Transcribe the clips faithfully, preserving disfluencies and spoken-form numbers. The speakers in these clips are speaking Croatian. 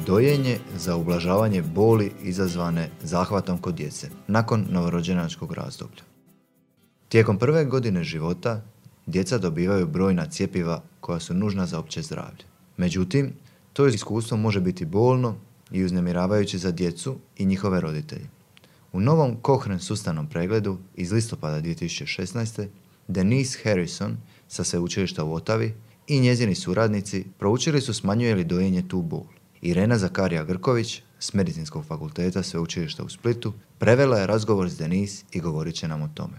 Dojenje za ublažavanje boli izazvane zahvatom kod djece nakon novorođenčkog razdoblja. Tijekom prve godine života djeca dobivaju brojna cjepiva koja su nužna za opće zdravlje. Međutim, to iskustvo može biti bolno i uznemiravajuće za djecu i njihove roditelje. U novom Cochrane sustavnom pregledu iz listopada dvije tisuće šesnaeste. Denise Harrison sa sveučilišta u Otavi i njezini suradnici proučili su smanjuje li dojenje tu bol. Irena Zakarija-Grković s Medicinskog fakulteta sveučilišta u Splitu prevela je razgovor s Denise i govorit će nam o tome.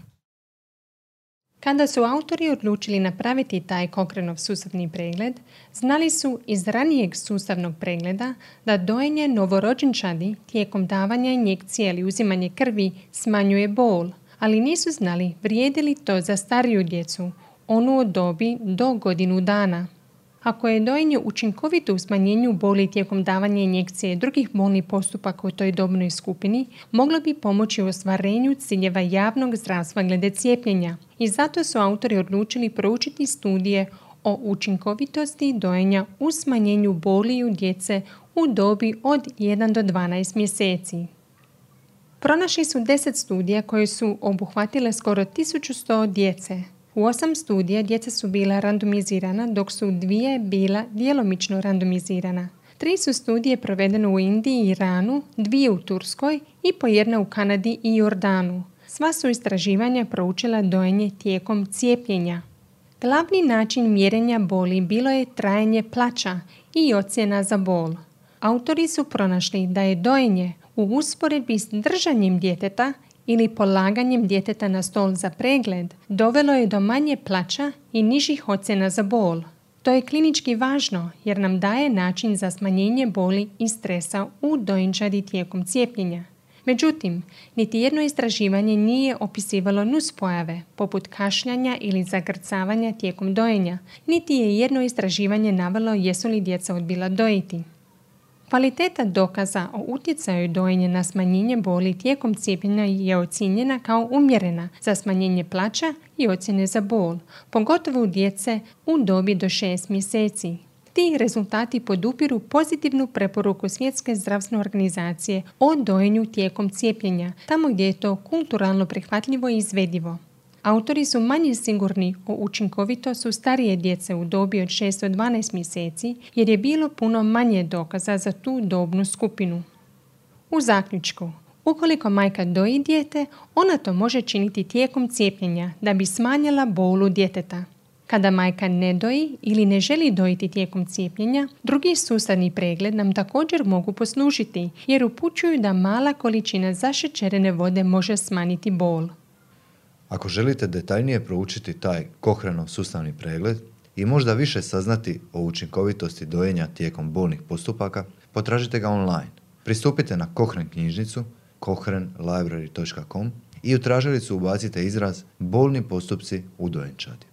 Kada su autori odlučili napraviti taj Cochranov sustavni pregled, znali su iz ranijeg sustavnog pregleda da dojenje novorođenčadi tijekom davanja injekcije ili uzimanje krvi smanjuje bol, ali nisu znali vrijedi li to za stariju djecu, onu od dobi do godinu dana. Ako je dojenje učinkovito u smanjenju boli tijekom davanja injekcije i drugih bolnih postupaka u toj dobnoj skupini, moglo bi pomoći u ostvarenju ciljeva javnog zdravstva glede cijepljenja. I zato su autori odlučili proučiti studije o učinkovitosti dojenja u smanjenju boli u djece u dobi od jedan do dvanaest mjeseci. Pronašli su deset studija koje su obuhvatile skoro tisuću sto djece. U osam studija djeca su bila randomizirana, dok su dvije bila djelomično randomizirana. Tri su studije provedene u Indiji i Iranu, dvije u Turskoj i po jedna u Kanadi i Jordanu. Sva su istraživanja proučila dojenje tijekom cijepljenja. Glavni način mjerenja boli bilo je trajanje plaća i ocjena za bol. Autori su pronašli da je dojenje u usporedbi s držanjem djeteta ili polaganjem djeteta na stol za pregled dovelo je do manje plaća i nižih ocjena za bol. To je klinički važno jer nam daje način za smanjenje boli i stresa u dojenčadi tijekom cijepljenja. Međutim, niti jedno istraživanje nije opisivalo nuspojave, poput kašljanja ili zagrcavanja tijekom dojenja, niti je jedno istraživanje navelo jesu li djeca odbila dojiti. Kvaliteta dokaza o utjecaju dojenja na smanjenje boli tijekom cijepljenja je ocijenjena kao umjerena za smanjenje plaća i ocjene za bol, pogotovo u djece u dobi do šest mjeseci. Ti rezultati podupiru pozitivnu preporuku Svjetske zdravstvene organizacije o dojenju tijekom cijepljenja, tamo gdje je to kulturalno prihvatljivo i izvedivo. Autori su manje sigurni o učinkovitosti u starije djece u dobi od šest do dvanaest mjeseci jer je bilo puno manje dokaza za tu dobnu skupinu. U zaključku, ukoliko majka doji dijete, ona to može činiti tijekom cijepljenja da bi smanjila bolu djeteta. Kada majka ne doji ili ne želi dojiti tijekom cijepljenja, drugi sustavni pregled nam također mogu poslužiti jer upućuju da mala količina zašećerene vode može smanjiti bol. Ako želite detaljnije proučiti taj Cochranov sustavni pregled i možda više saznati o učinkovitosti dojenja tijekom bolnih postupaka, potražite ga online. Pristupite na Cochrane knjižnicu cochrane library dot com i u tražilicu ubacite izraz bolni postupci u dojenčadi.